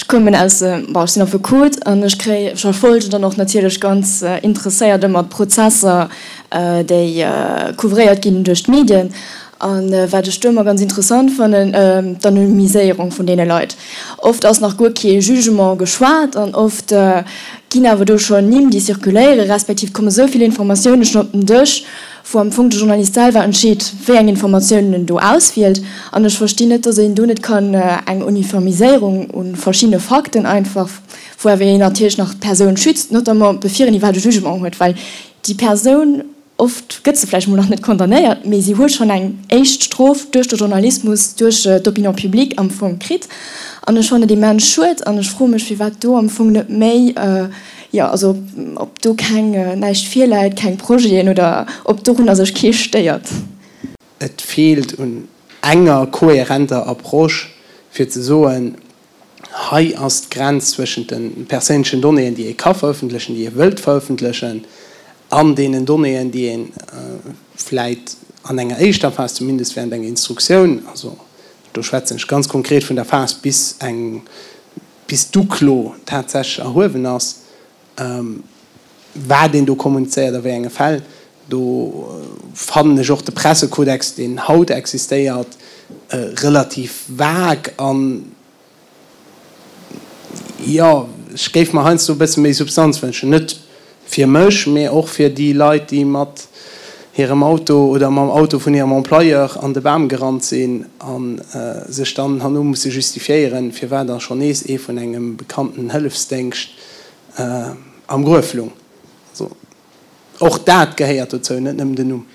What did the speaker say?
Ech kommen aus, bon, ech sinn Affekot an ech kréi, ech verfolgen dann och natierlech ganz interesséiert ëmmer d'Prozesser, déi couvréiert ginn duerch d'Medien. A wat ech do ëmmer ganz interessant fannen, d'Anonymiséierung vun deene Leit. Oft ass nach guer kee Jugement geschwat an oft ginn awer do schonn Nimm, déi zirkuléieren, respektiv et komme sou vill Informatioune schonn op den Dësch, wou am Fong de Journalist selwer entscheet, wéi eng Informatiounen en do auswielt. An ech verstinn net, datt een do net kann eng Uniformiséierung u verschiddene Fakten einfach, wou awer een natierlech nach d'Persoun schützt, notamment bevir een iwwerhaapt e Jugement huet, well déi Persoun, Oft gëtt se vläicht mol nach net condamnéiert, mee si huet schonn eng éischt Strof duerch de Journalismus, duerch d'Opinion publique am Fong kritt. An ech fannen et immens schued an ech froe mech, firwat do am Fong net méi, jo, also ob do keng, näischt virläit, keng Projeten oder ob dorunner sech kee stéiert. Et feelt un enger kohärenter Approche, fir ze soen, Hei ass d'Grenz zwëschent de perséinlechen Donnéeën, déi ee ka verëffentlechen, déi ee wëllt verëffentlechen, an deenen Donnéeën, déi ee vläit an enger éischter Phas, zumindest während enger Instruktioun, also do schwätzen ech ganz konkret vun der Phas, bis eng, bis d'Uklo tatsächlech erhuewen ass, wat een do kommunizéiert a wéi enge Fäll. Do fannen ech och de Pressekodex, deen haut existéiert, relativ vague an, jo, ech géif mer heiansdo e bësse méi Substanz wënschen. Net fir mech, mee och fir déi Leit, déi mat hirem Auto oder mam Auto vun hirem Employeur an de Bam gerannt sinn a sech dann herno musse justifiéieren, firwat da schonn nees ee vun engem bekannten Hëllefsdéngscht am Gruef lung. Also och dat gehéiert dozou, net nëmmen den Numm.